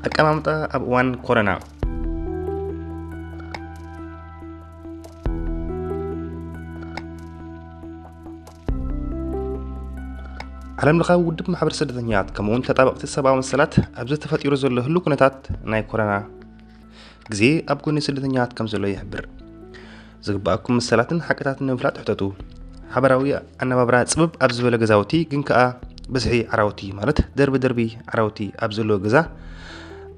ኣቀማምጣ ኣብ እዋን ኮረና። ዓለም ለኻዊ ውድብ ማሕበር ስደተኛታት ከምኡውን ተጣበቕቲ ሰብኣዊ መሰላት ኣብዚ ተፈጢሩ ዘሎ ህሉ ኩነታት ናይ ኮረና ግዜ ኣብ ጎኒ ስደተኛታት ከም ዘሎ ይሕብር። ዝግባኣኩም መሰላትን ሓቅታትን ንምፍላጥ ሕተቱ። ሓበራዊ ኣነባብራ ጽብብ ኣብ ዝበለ ገዛውቲ ግን ከኣ ብዝሒ ዓራውቲ ማለት ደርቢ ደርቢ ዓራውቲ ኣብ ዘለዎ ገዛ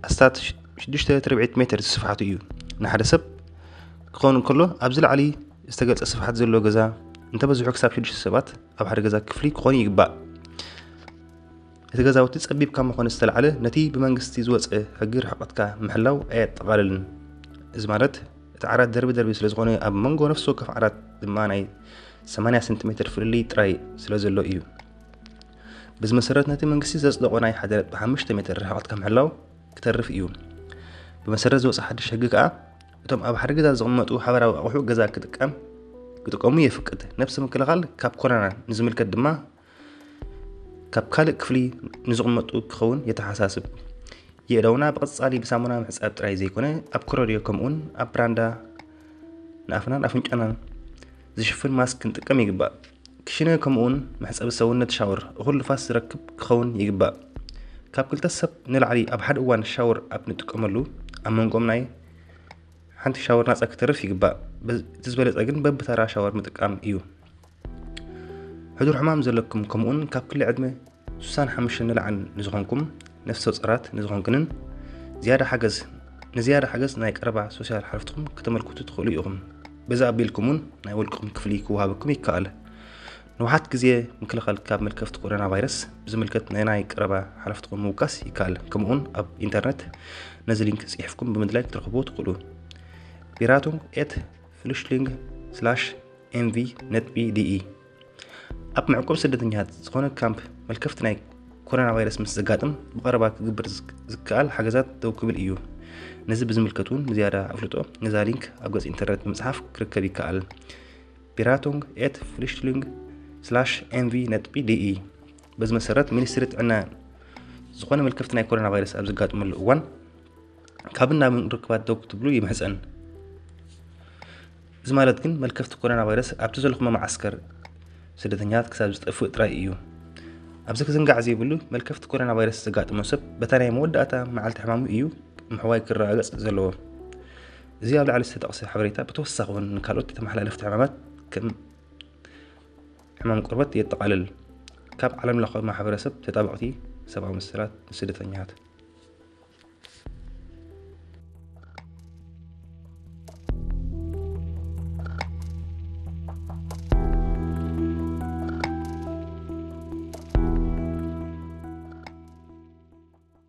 ኣስታት ሽዱሽተ ትርብዒት ሜትር ስፍሓቱ እዩ። ንሓደ ሰብ ክኸውን እንከሎ ኣብዚ ላዕሊ ዝተገልጸ ስፍሓት ዘለዎ ገዛ እንተበዝሑ ክሳብ ሽዱሽተ ሰባት ኣብ ሓደ ገዛ ክፍሊ ክኾኑ ይግባእ። እቲ ገዛውቲ ጸቢብ ካብ ምዃኑ ዝተላዕለ ነቲ ብመንግስቲ ዝወጸ ሕጊ ርሕቐትካ ምሕላው ኣየጠቓልልን። እዚ ማለት እቲ ዓራት ደርቢ ደርቢ ስለ ዝኾነ ኣብ መንጎ ነፍሲ ወከፍ ዓራት ድማ ናይ ሰማንያ ሰንቲሜትር ፍልልይ ጥራይ ስለ ዘሎ እዩ። በዚ መሰረት ነቲ መንግስቲ ዘጽደቖ ናይ ሓደ ነጥቢ ሓሙሽተ ሜትር ርሕቐትካ ምሕላው ክተርፍ እዩ። ብመሰረት ዝወጸ ሓድሽ ሕጊ ከኣ እቶም ኣብ ሓደ ገዛ ዝቕመጡ ሓበራዊ ኣቑሑ ገዛ ክጥቀም ክጥቀሙ የፍቅድ። ነብሲ ምክልኻል ካብ ኮሮና ንዝምልከት ድማ ካብ ካልእ ክፍሊ ንዝቕመጡ ክኸውን የተሓሳስብ። የእዳውና ብቐጻሊ ብሳሙና ምሕጻብ ጥራይ ዘይኮነ ኣብ ኮረድዮ ከምኡውን ኣብ ብራንዳ ንኣፍናን ኣፍንጫናን ዝሽፍን ማስክ ክንጥቀም ይግባእ። ክሽነ ከምኡውን መሕጸቢ ሰውነት ሻወር እኹል ንፋስ ዝረክብ ክኸውን ይግባእ። ካብ ክልተ ሰብ ንላዕሊ ኣብ ሓደ እዋን ሻወር ኣብ ንጥቀመሉ ኣብ መንጎም ናይ ሓንቲ ሻወር ናጻ ክተርፍ ይግባእ። በዝ- እቲ ዝበለጸ ግን በብተራ ሻወር ምጥቃም እዩ። ሕዱር ሕማም ዘለኩም ከምኡውን ካብ ክሊ ዕድመ ስሳን ሓሙሽተን ንላዕሊ ንዝኾንኩም ነፍሰ ጾራት ንዝኾንክንን ዝያዳ ሓገዝ ንዝያዳ ሓገዝ ናይ ቀረባ ሶሻል ሓለፍትኩም ከተመልክቱ ትኽእሉ ኢኹም። በዚ ኣቢልኩም እውን ናይ ውልቅኹም ክፍሊ ክወሃበኩም ይከኣል። ንውሓት ግዜ ምክልኻል ካብ መልከፍቲ ኮሮና ቫይረስ ብዝምልከት ናይ ናይ ቀረባ ሓለፍትኩም ምውካስ ይከኣል። ከምኡውን ኣብ ኢንተርነት ነዚ ሊንክ ጽሒፍኩም ብምድላይ ክትረኽቡ ትኽእሉ። ቢራቱንግ ኤት ፍሉሽሊንግ ስላሽ ኤምቪ ነጥቢ ዲኢ። ኣብ መዕቆብ ስደተኛታት ዝኾነ ካምፕ መልከፍቲ ናይ ኮሮና ቫይረስ ምስ ዘጋጥም ብቐረባ ክግበር ዝክ- ዝከኣል ሓገዛት ደው ክብል እዩ። ነዚ ብዝምልከት እውን ንዝያዳ ኣፍልጦ ነዛ ሊንክ ኣብ ገጽ ኢንተርነት ብምጽሓፍ ክርከብ ይከኣል። ቢራቱንግ ኤት ፍሉሽሊንግ ስላሽ ኤምቪ ነጥቢ ዲኢ። በዚ መሰረት ሚኒስትሪ ጥዕና ዝኾነ መልከፍቲ ናይ ኮሮና ቫይረስ ኣብ ዘጋጥመሉ እዋን ካብ ናብን ርክባት ደው ክትብሉ ይምሕጸን። እዚ ማለት ግን መልከፍቲ ኮሮና ቫይረስ ኣብቲ ዘለኹሞ መዓስከር ስደተኛታት ክሳብ ዝጠፍእ ጥራይ እዩ። ኣብዚ ክዝንጋዕ ዘይብሉ መልከፍቲ ኮሮና ቫይረስ ዘጋጥሞ ሰብ በታ ናይ መወዳእታ መዓልቲ ሕማሙ እዩ ምሕዋይ ክረጋገጽ ዘለዎ። እዚ ኣብ ላዕሊ ዝተጠቕሰ ሓበሬታ ብተወሳኺ እውን ንካልኦት ተመሓላለፍቲ ሕማማት ከም ሕማም ቆርበት የጠቓልል። ካብ ዓለም ለኻዊ ማሕበረሰብ ተጣበቕቲ ሰብኣዊ መሰላት ንስደተኛታት